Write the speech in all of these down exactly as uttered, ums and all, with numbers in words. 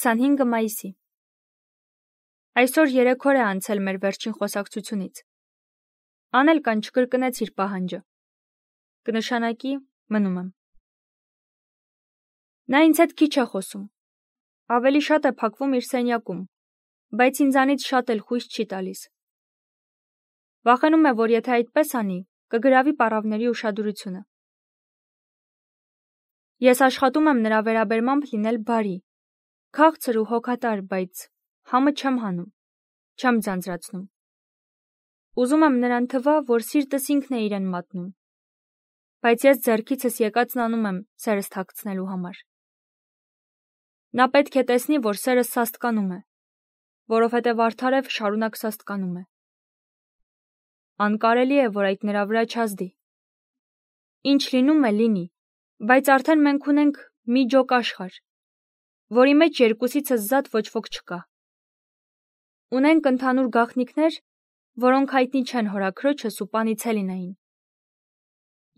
քսանհինգը մայիսի։ Այսօր երեք օր է անցել մեր վերջին խոսակցությունից։ Անել կան չկրկնեց իր պահանջը։ Կնշանակի մնում եմ։ Նա ինձ հետ քիչ է խոսում։ Ավելի շատ է փակվում իր սենյակում, բայց ինձանից շատ էլ խույս չի տալիս։ Վախենում է, որ եթե այդպես անի, կգրավի պառավների ուշադրությունը։ Ես աշխատում եմ նրա վերաբերմամբ լինել բարի, քաղցր ու հոգատար, բայց համը չեմ հանում, չեմ ձանձրացնում։ Ուզում եմ նրան թվա, որ սիրտս ինքն է իրեն մատնում, բայց ես ձեռքիցս եկածն անում եմ սերս թաքցնելու համար։ Նա պետք է տեսնի, որ սերս սաստկանում է, որովհետև արդարև շարունակ սաստկանում է։ Անկարելի է, որ այդ նրա վրա չազդի։ Ինչ լինում է, լինի, բայց արդեն մենք ունենք մի ջոկ աշխարհ, որի մեջ երկուսիցս զատ ոչ ոք չկա։ Ունենք ընդհանուր գաղտնիքներ, որոնք հայտնի չեն հորաքրոջս ու պանից Հելինային։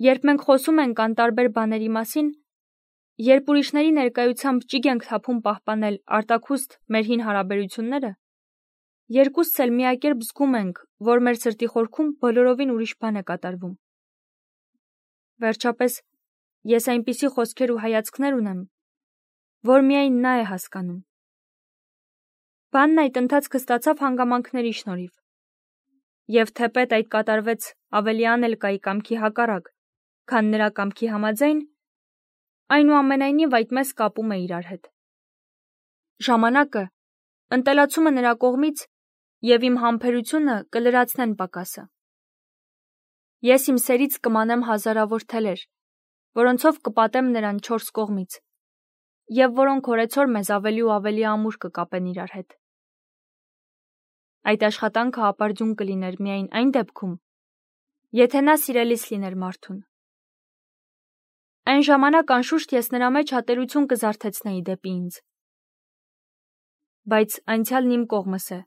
Երբ մենք խոսում ենք անտարբեր բաների մասին, երբ ուրիշների ներկայությամբ ճիգ ենք թափում պահպանել արտաքուստ մեր հին հարաբերությունները, երկուսս էլ միակերպ զգում ենք, որ մեր սրտի խորքում բոլորովին ուրիշ բան է կատարվում։ Վերջապես, ես այնպիսի խոսքեր ու հայացքներ ունեմ, որ միայն նա է հասկանում։ Բանն այդ ընթացքը ստացավ հանգամանքների շնորհիվ։ Եվ թեպետ այդ կատարվեց ավելի Անելկայի կամքի հակառակ, քան նրա կամքի համաձայն, այնուամենայնիվ այդ մեզ կապում է իրար հետ։ Ժամանակը, ընտելացումը նրա կողմից և իմ համբերությունը կլրացնեն պակասը։ Ես իմ սերից կմանեմ հազարավոր թելեր, որոնցով կպատեմ նրան չորս կողմից, և որոնք օրեցօր մեզ ավելի ու ավելի ամուր կկապեն իրար հետ։ Այդ աշխատանքը ապարդյուն կլիներ միայն այն դեպքում, եթե նա սիրելիս լիներ մարդուն։ Այն ժամանակ անշուշտ ես նրա մեջ հատելություն կզարթեցնեի դեպի ինձ։ Բայց անցյալն իմ կողմս է,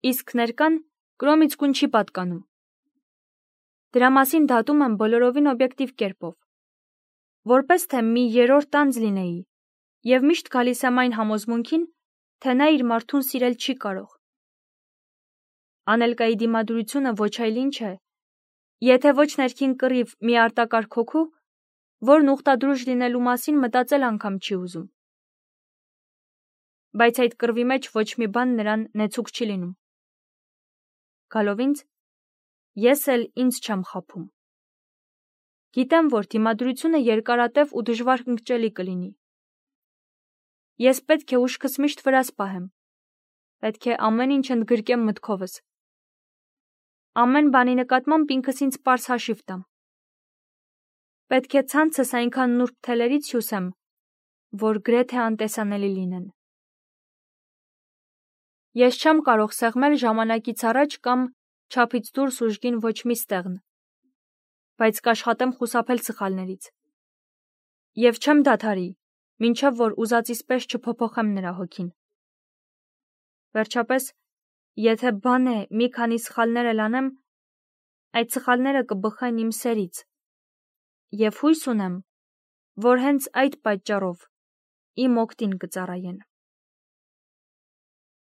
իսկ ներկան կրոմից կուն չի պատկանում։ Դրա մասին դատում եմ բոլորովին օբյեկտիվ կերպով, որպես թե մի երրորդ անձ լինեի, և միշտ գալիս եմ այն համոզմունքին, թե նա իր մարդուն սիրել չի կարող։ Անելկայի դիմադրությունը ոչ այլ ինչ է, եթե ոչ ներքին կռիվ մի արտակարգ հոգու, որն ուխտադրուժ լինելու մասին մտածել անգամ չի ուզում։ Բայց այդ կռվի մեջ ոչ մի բան նրան նեցուկ չի լինում։ Գալով ինձ, ես էլ ինձ չեմ խաբում։ Գիտեմ, որ դիմադրությունը երկարատև ու դժվար ընկճելի կլինի։ Ես պետք է ուշքս միշտ վրաս պահեմ, պետք է ամեն ինչ ընդգրկեմ մտքովս։ Ամեն բանի նկատմամբ ինքս ինձ պարզ հաշիվ տամ։ Պետք է ցանցս այնքան նուրբ թելերից հյուսեմ, որ գրեթե անտեսանելի լինեն։ Ես չեմ կարող սեղմել ժամանակից առաջ կամ չափից դուրս ուժգին ոչ մի ստեղն, բայց կաշխատեմ խուսափել սխալներից։ Եվ չեմ դադարի, մինչև որ ուզածիս պես չփոփոխեմ նրա հոգին։ Վերջապես, եթե բան է մի քանի սխալներ էլ անեմ, այդ սխալները կբխեն իմ սերից, և հույս ունեմ, որ հենց այդ պատճառով իմ օգտին կծառայեն։